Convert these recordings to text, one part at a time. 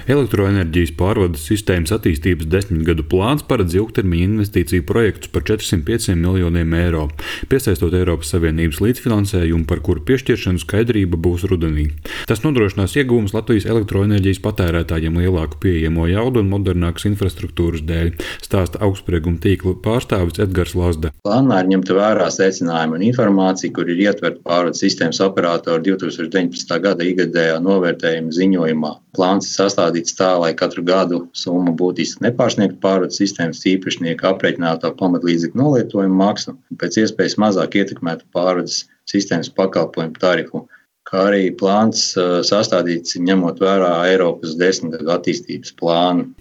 Elektroenerģijas pārvades sistēmas attīstības 10 gadu plāns paredz ilgtermiņa investīciju projektus par 405 miljoniem eiro, piesaistot Eiropas Savienības līdzfinansējumu, par kuru piešķiršanu skaidrība būs rudenī. Tas nodrošinās ieguvumus Latvijas elektroenerģijas patērētājiem lielāku pieejamo jaudu un modernākas infrastruktūras dēļ, stāsta augstsprieguma tīkla pārstāvis Edgars Lazda. Plānā ir ņemta vērā secinājumi un informācija, kur ir ietverta pārvades sistēmas operātora 2019. Gada ikgadējā novērtējuma ziņojumā. Plāns ir sastādīts tā, lai katru gadu summa būtiski nepārsniegtu pārvades sistēmas īpašnieka aprēķinātā pamatlīdzekļu nolietojuma maksu un pēc iespējas mazāk ietekmētu pārvades sistēmas pakalpojumu tarifu, kā arī plāns sastādīts ņemot vērā Eiropas 10 gadu attīstības plānu.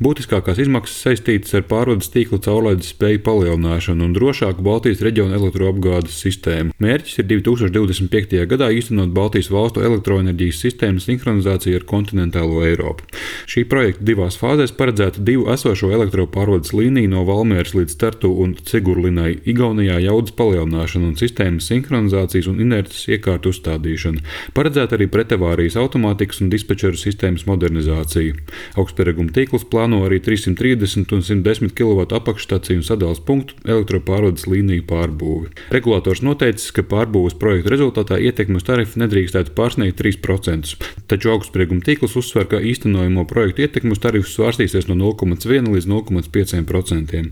Būtiskākās izmaksas saistītas ar pārvades tīkla caurlaides spēju palielināšanu un drošāku Baltijas reģiona elektroapgādes sistēmu. Mērķis ir 2025. gadā īstenot Baltijas valstu elektroenerģijas sistēmas sinhronizāciju ar kontinentālo Eiropu. Šī projekta divās fāzēs paredzēta divu esošo elektropārvades līniju no Valmieras līdz Tartu un Cigurlinai Igaunijā jaudas palielināšana un sistēmas sinhronizācijas un inerces iekārtu uzstādīšana. Paredzēta arī pretavārijas automātikas un dispečeru sistēmas modernizācija. Augstsprieguma tīkls plāno arī 330 un 110 kV apakšstaciju un sadales punktu elektropārvades līniju pārbūvi. Regulators noteicis, ka pārbūves projekta rezultātā ietekme uz tarifu nedrīkstētu pārsniegt 3%, taču augstsprieguma tīkls uzsver, ka īstenojamo projektu ietekme uz tarifu svārstīsies no 0,1 līdz 0,5%.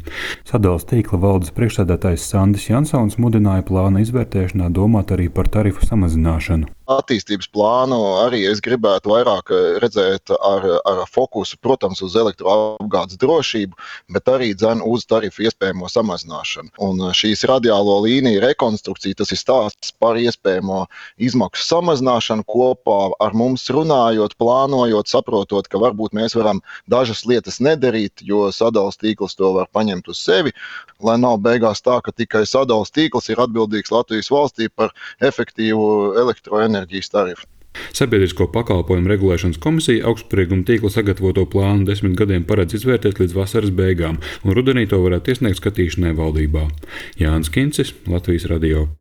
Sadales tīkla valdes priekšsēdētājs Sandis Jansons mudināja plāna izvērtēšanā domāt arī par tarifu samazināšanu. Attīstības plānu arī es gribētu vairāk redzēt ar fokusu, protams, uz elektroapgādes drošību, bet arī uz tarifu iespējamo samazināšanu. Un šīs radiālo līniju rekonstrukcija, tas ir stāsts par iespējamo izmaksu samazināšanu kopā ar mums runājot, plānojot, saprotot, ka varbūt mēs varam dažas lietas nedarīt, jo sadales tīkls to var paņemt uz sevi, lai nav beigās tā, ka tikai sadales tīkls ir atbildīgs Latvijas valstī par efektīvu elektroenerģijas tarifu. Sabiedrisko pakalpojumu regulēšanas komisija augstsprieguma tīkla sagatavoto plānu 10 gadiem paredz izvērtēt līdz vasaras beigām, un rudenī to varētu iesniegt skatīšanai valdībā. Jānis Kincis, Latvijas radio.